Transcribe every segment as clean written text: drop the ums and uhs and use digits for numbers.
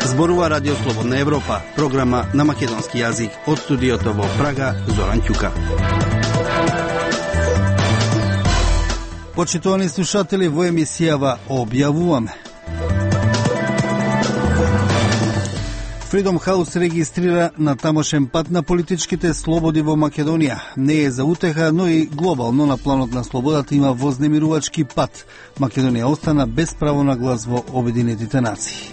Зборува Радио Слободна Европа, програма на македонски јазик од студиото во Прага, Зоран Ќука. Почитувани слушатели, во емисијава објавуваме. Freedom House регистрира на тамошен пат на политичките слободи во Македонија. Не е за утеха, но и глобално на планот на слободата има вознемирувачки пат. Македонија остана без право на глас во Обединетите нации.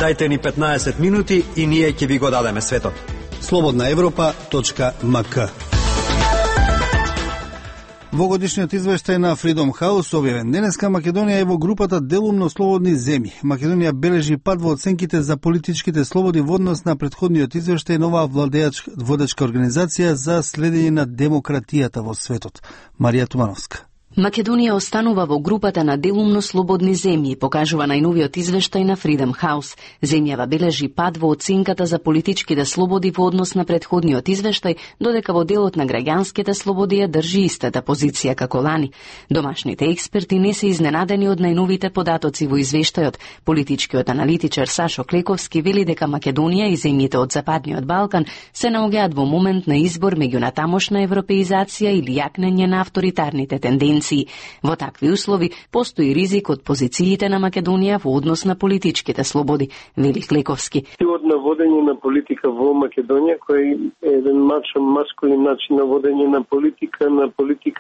Дајте ни 15 минути и ние ќе ви го дадеме светот. slobodnaevropa.mk. Во годишниот извештај на Freedom House објавен денеска, Македонија е во групата делумно слободни земји. Македонија бележи пад во оценките за политичките слободи во однос на претходниот извештај на оваа водечка организација за следење на демократијата во светот. Марија Тумановска. Македонија останува во групата на делумно слободни земји, покажува најновиот извештај на Freedom House. Земјава бележи пад во оценката за политичките слободи во однос на претходниот извештај, додека во делот на граѓанските слободи ја држи истата позиција како лани. Домашните експерти не се изненадени од најновите податоци во извештајот. Политичкиот аналитичар Сашо Клековски вели дека Македонија и земјите од Западниот Балкан се наоѓаат во момент на избор меѓу натамошна европеизација или јакнење на авторитарните тенденции. Во такви услови постои ризик од позициите на Македонија во однос на политичките слободи, вели Клековски. Стилот на водење на политика во Македонија, кој е еден маскулин начин на водење на политика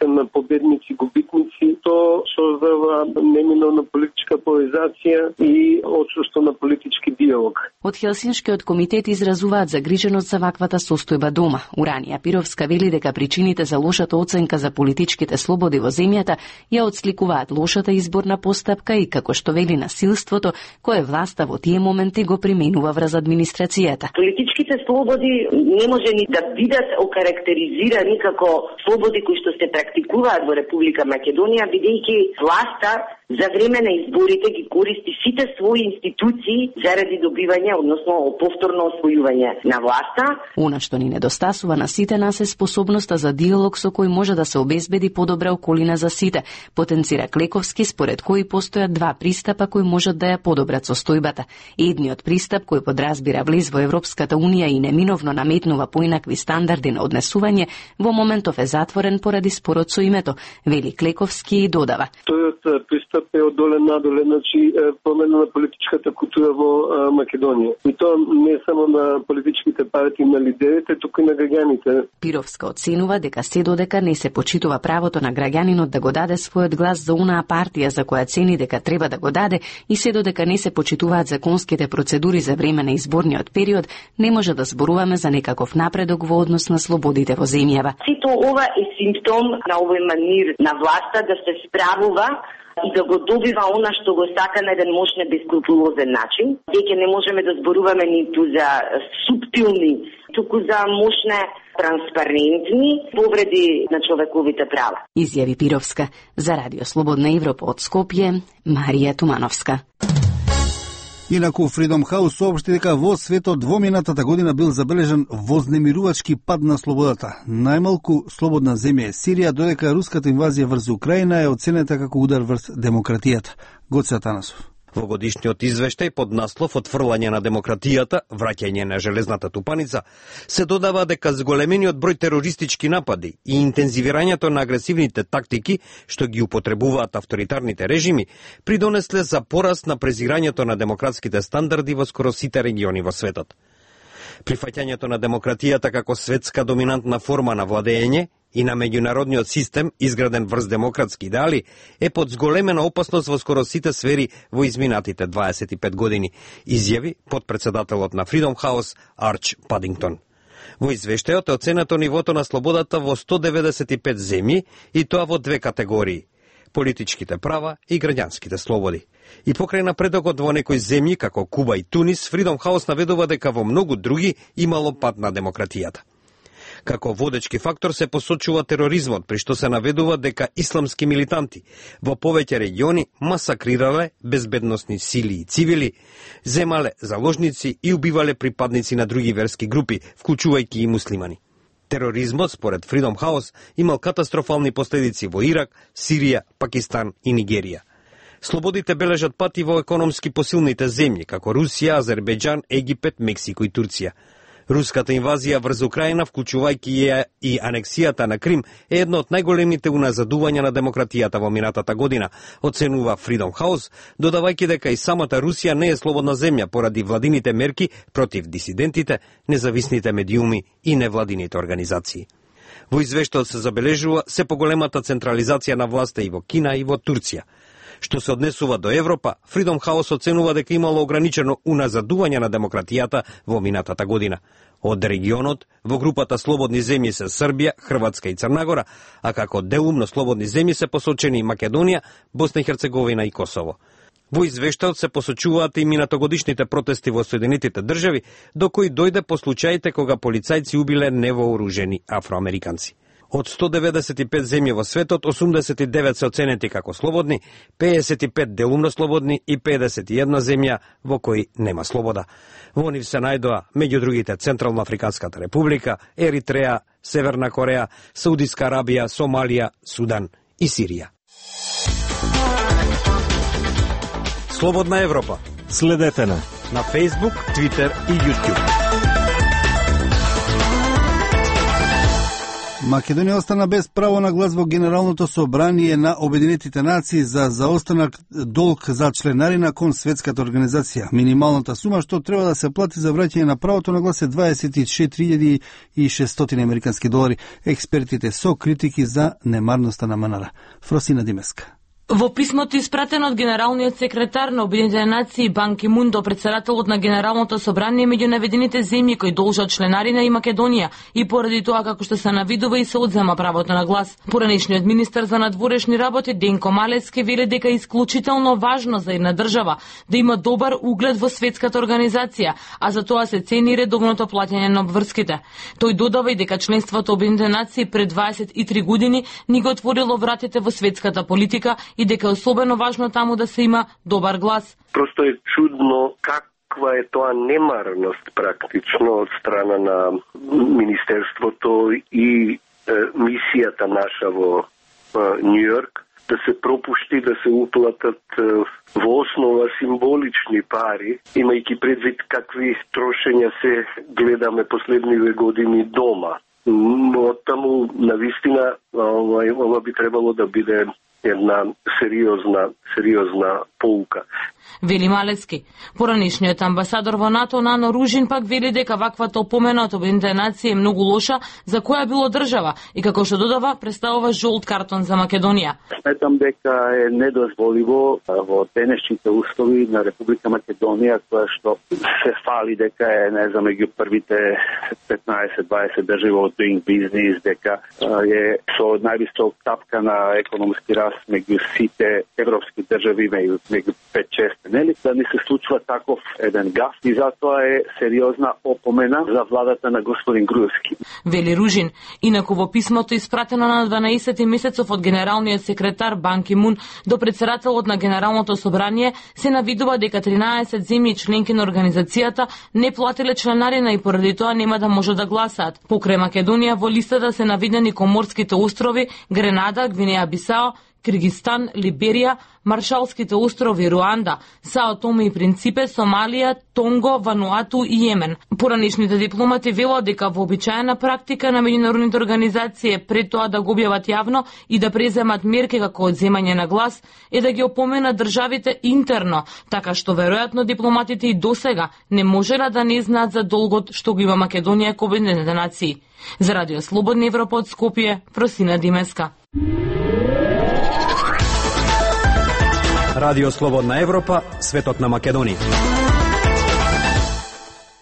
на победници, губитници, то создава неминовна политичка поларизација и отсуство на политички диалог. Од Хелсиншкиот комитет изразуваат загриженост за ваквата состојба дома. Уранија Пировска вели дека причините за лошата оценка за политичките слободи во земјата ја отсликуваат лошата изборна постапка и, како што вели, насилството кое власта во тие моменти го применува врз администрацијата. Политичките слободи не може ни да бидат окарактеризирани како слободи кои што се практикуваат во Република Македонија, бидејќи власта за време на изборите ги користи сите своји институции заради добивање, односно повторно освојување на власта. Она што ни недостасува на сите нас е способноста за диалог со кој може да се обезбеди подобра околина за сите, потенцира Клековски, според кој постојат два пристапа кои можат да ја подобрат состојбата. Едниот пристап кој подразбира влез во Европската унија и неминовно наметнува поинакви стандарди на однесување, во моментов е затворен поради спорот со името, вели Клековски и додава. Тојот пристап е од доле надоле, значи промена на политичката култура во Македонија. И тоа не само на политичките партии, на лидерите, туку и на граѓаните. Пировска оценува дека се додека не се почитува правото на граѓанинот да го даде својот глас за онаа партија за која цени дека треба да го даде и се додека не се почитуваат законските процедури за време на изборниот период, не може да зборуваме за некаков напредок во однос на слободите во земјава. Сето ова е симптом на овој манир на власта да се справува и да го добива она што го сака на еден мощен бескрупулозен начин. Веќе не можеме да зборуваме ниту за суптилни, туку за мощне, транспарентни повреди на човековите права. Изјави Пировска. За Радио Слободна Европа од Скопје, Марија Тумановска. Инаку Freedom House соопшти дека во светот во минатата година бил забележан вознемирувачки пад на слободата. Најмалку слободна земја е Сирија, додека руската инвазија врз Украина е оценета како удар врз демократијата. Гоце Атанасов. Во годишниот извештај под наслов "Отфрлање на демократијата, враќање на железната тупаница" се додава дека зголемениот број терористички напади и интензивирањето на агресивните тактики што ги употребуваат авторитарните режими придонесле за пораст на презирањето на демократските стандарди во скоро сите региони во светот. Прифаќањето на демократијата како светска доминантна форма на владење и на меѓународниот систем, изграден врз демократски идеали, е под зголемена опасност во скоро сите сфери во изминатите 25 години, изјави подпредседателот на Freedom House Арч Падингтон. Во извештајот е оценето нивото на слободата во 195 земји и тоа во две категории: политичките права и граѓанските слободи. И покрај напредокот во некои земји како Куба и Тунис, Freedom House наведува дека во многу други имало пат на демократијата. Како водечки фактор се посочува тероризмот, при што се наведува дека исламски милитанти во повеќе региони масакрирале безбедносни сили и цивили, земале заложници и убивале припадници на други верски групи, вклучувајќи и муслимани. Тероризмот, според Freedom House, имал катастрофални последици во Ирак, Сирија, Пакистан и Нигерија. Слободите бележат пати во економски посилните земји, како Русија, Азербејџан, Египет, Мексико и Турција. Руската инвазија врз Украина, вклучувајќи ја и анексијата на Крим, е едно од најголемите уназадувања на демократијата во минатата година, оценува Freedom House, додавајќи дека и самата Русија не е слободна земја поради владините мерки против дисидентите, независните медиуми и невладините организации. Во извештајот се забележува се поголемата централизација на власта и во Кина и во Турција. Што се однесува до Европа, Freedom House оценува дека имало ограничено уназадување на демократијата во минатата година. Од регионот, во групата слободни земји се Србија, Хрватска и Црна Гора, а како делумно слободни земји се посочени и Македонија, Босна и Херцеговина и Косово. Во извештајот се посочуваат и минатогодишните протести во Соединетите држави, до кои дојде по случаите кога полицајци убиле невооружени афроамериканци. Од 195 земји во светот, 89 се оценети како слободни, 55 делумно слободни и 51 земја во кои нема слобода. Во нив се најдоа, меѓу другите, Централно Африканската република, Еритреја, Северна Кореја, Саудиска Арабија, Сомалија, Судан и Сирија. Слободна Европа. Следете на Facebook, Twitter и YouTube. Македонија остана без право на глас во Генералното собрание на Обединетите нации за заостанак долг за членарина кон Светската организација. Минималната сума што треба да се плати за враќање на правото на глас е 24.600 американски долари. Експертите со критики за немарноста на МНР. Фросина Димеска. Во писмото испратено од генералниот секретар на Обединетите нации Бан Ки Мун до претседателот на Генералното собрание меѓу наведените земји кои должат членарина и Македонија и поради тоа како што се навидува и се одзема правото на глас. Поранешниот министер за надворешни работи Денко Малецки вели дека е исклучително важно за една држава да има добар углед во Светската организација, а за тоа се цени редовното плаќање на обврските. Тој додава и дека членството Обединетите нации пред 23 години ни го отворило вратите во светската политика и дека е особено важно таму да се има добар глас. Просто е чудно каква е тоа немарност практично од страна на Министерството и мисијата наша во Њујорк да се пропушти да се уплатат во основа символични пари, имајќи предвид какви трошења се гледаме последниве години дома. Но таму навистина ова би требало да биде една сериозна поука. Вели Малецки. Поранешниот амбасадор во НАТО Нано Ружин пак вели дека ваквата опомена од Обединетите нации е многу лоша за која било држава и како што додава представува жолт картон за Македонија. Сметам дека е недозволиво во денешните услови на Република Македонија, која што се фали дека е меѓу првите 15-20 држави во doing business, дека е со највисок стапка на економски раст меѓу сите европски држави, меѓу 5-6, нели? Да не се случува таков еден гаф и затоа е сериозна опомена за владата на господин Груевски. Вели Ружин. Инаку во писмото испратено на 12 месецов од генералниот секретар Бан Ки Мун до претседателот на Генералното собрание се навидува дека 13 земји членки на организацијата не платиле членарина и поради тоа нема да може да гласаат. Покрај Македонија во листата се навидени Коморските острови, Гренада, Гвинеја Бисао, Киргистан, Либерија, Маршалските острови, Руанда, Сао Томе и Принципе, Сомалија, Тонго, Вануату и Јемен. Поранешните дипломати велат дека вообичаена практика на меѓународните организации пред тоа да го објават јавно и да преземат мерки како одземање на глас е да ги опоменат државите интерно, така што веројатно дипломатите и досега не можело да не знаат за долгот што го има Македонија кон Обединетите нации. За Радио Слободна Европа од Скопје, Фросина Димеска. Радио Слободна Европа, светот на Македонија.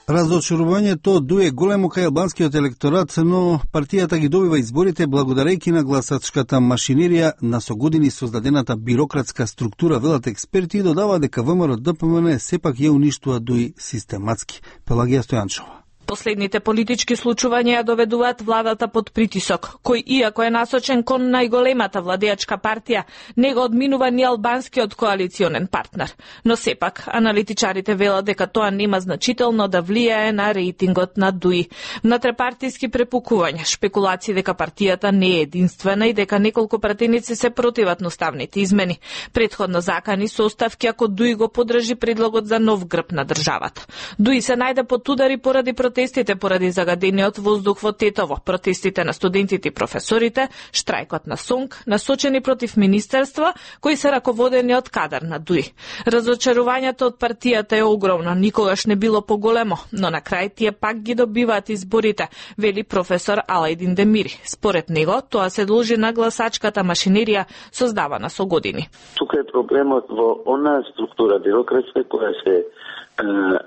Разочарувањето дуе големо кај албанскиот електорат, но партијата ги добива изборите благодарејќи на гласачката машинерија на со години создадената бирократска структура, велат експерти и додава дека ВМРО ДПМН сепак ја уништува дуи систематски. Пелагија Стојанчова. Последните политички случувања ја доведуваат владата под притисок, кој иако е насочен кон најголемата владеачка партија, не го одминува ни албанскиот коалиционен партнер. Но сепак, аналитичарите велат дека тоа нема значително да влијае на рейтингот на ДУИ. Внатрепартиски препукувања, шпекулации дека партијата не е единствена и дека неколку пратеници се противат на уставните измени. Претходно закани со оставки ако ДУИ го подржи предлогот за нов грб на државата. ДУИ се најде под удари поради протестите поради загадениот воздух во Тетово, протестите на студентите и професорите, штрајкот на СОНК, насочени против министерства кои се раководени од кадар на ДУИ. Разочарувањето од партијата е огромно, никогаш не било поголемо, но на крај тие пак ги добиваат изборите, вели професор Алајдин Демири. Според него, тоа се должи на гласачката машинерија создавана со години. Тука е проблемот во она структура бюрократска која се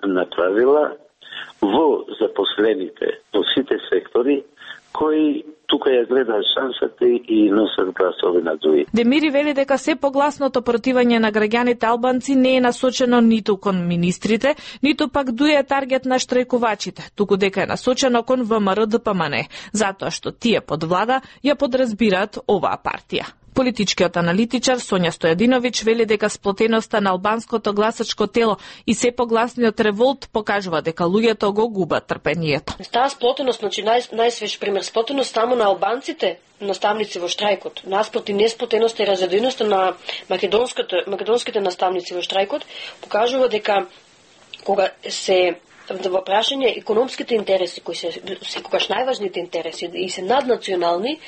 натварила во запослените во сите сектори кои тука ја гледаат шансата и носат гласови на ДУИ. Демири вели дека се погласното противање на граѓаните албанци не е насочено ниту кон министрите, ниту пак ДУИ е таргет на штрајкувачите, туку дека е насочено кон ВМРО-ДПМН, затоа што тие под влада ја подразбираат оваа партија. Политичкиот аналитичар Сонја Стојадиновиќ вели дека сплотеноста на албанското гласачко тело и се погласниот револт покажува дека луѓето го губат трпението. Таа сплотеност, значи најсвеж пример, сплотеност само на албанците, наставници во штрајкот, наспроти несплотеноста и разединеността на македонските наставници во штрајкот, покажува дека кога се во прашање економските интереси, кои се секогаш најважните интереси и се наднационални,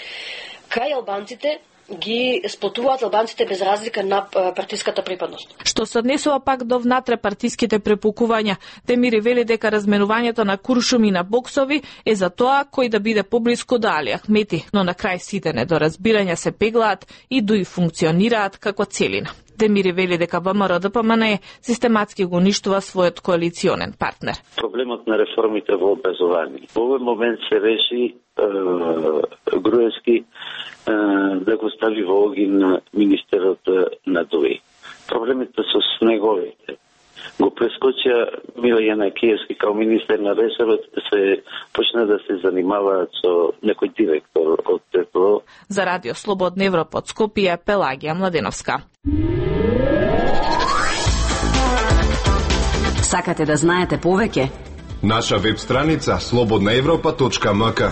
кај албанците ги сплотуваат албанците без разлика на партиската припадност. Што се однесува пак до внатре-партиските препукувања, Демири вели дека разменувањето на куршуми на боксови е за тоа кој да биде поблиску до Али Ахмети, но на крај сите недоразбирања се пеглаат и дуи функционираат како целина. Демири вели дека ВМРО-ДПМН систематски го уништува својот коалиционен партнер. Проблемот на реформите во образование. Во овој момент се реши Груевски да го стави во огин министерот на ДУИ. Проблемите со снеговите го прескочија Мила Јанакиевски као министер на ресорот, се почна да се занимаваат со некој директор од ТПО. За Радио Слободна Европа од Скопје, Пелагија Младеновска. Сакате да знаете повеќе? Наша веб страница slobodnaevropa.mk.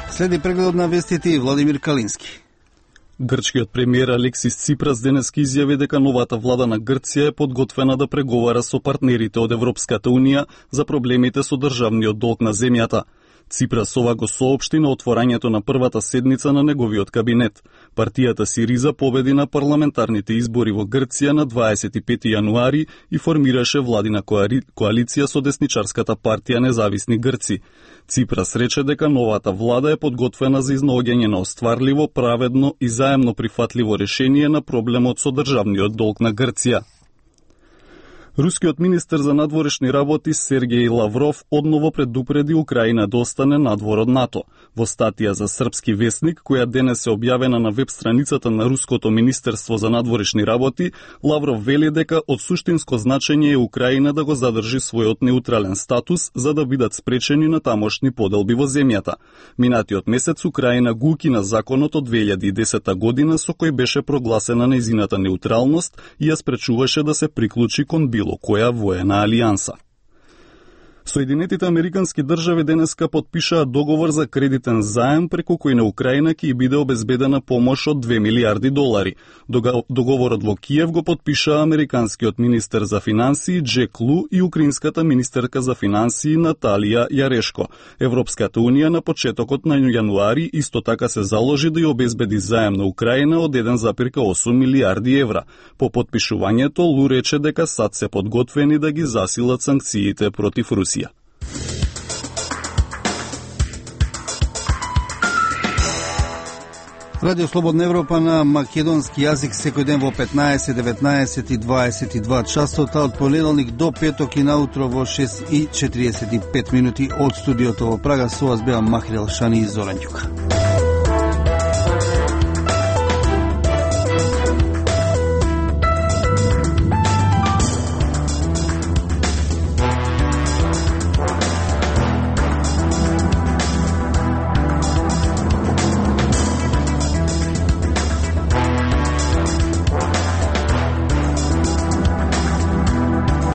Следи прегледот на вестите и Владимир Калински. Грчкиот премиер Алексис Ципрас денеска изјави дека новата влада на Грција е подготвена да преговара со партнерите од Европската Унија за проблемите со државниот долг на земјата. Ципрас ова го соопшти на отворањето на првата седница на неговиот кабинет. Партијата Сириза победи на парламентарните избори во Грција на 25 јануари и формираше владина коалиција со десничарската партија Независни Грци. Ципрас рече дека новата влада е подготвена за изнаоѓање на остварливо, праведно и заемно прифатливо решение на проблемот со државниот долг на Грција. Рускиот министер за надворешни работи Сергеј Лавров одново предупреди Украина да остане надвор од НАТО. Во статија за српски весник, која денес е објавена на веб страницата на Руското министерство за надворешни работи, Лавров вели дека од суштинско значење е Украина да го задржи својот неутрален статус за да бидат спречени на тамошни поделби во земјата. Минатиот месец Украина го укина законот од 2010 година со кој беше прогласена нејзината неутралност и ја спречуваше да се приклучи кон било која воена алијанса. Соединетите Американски држави денеска подпишаа договор за кредитен заем преку кој на Украина ќе биде обезбедена помош од $2 милиарди. Договорот во Киев го подпишаа американскиот министер за финансии Джек Лу и украинската министерка за финансии Наталија Јарешко. Европската унија на почетокот на јануари исто така се заложи да ја обезбеди заем на Украина од 1,8 милиарди евра. По подпишувањето Лу рече дека САД се подготвени да ги засилат санкциите против Русија. Радио Слободна Европа на македонски јазик секој ден во 15, 19 и 22 часот, а од понеделник до петок и наутро во 6:45 од студиото во Прага. Со вас беа Махрел Шани и Зоран Ѓука.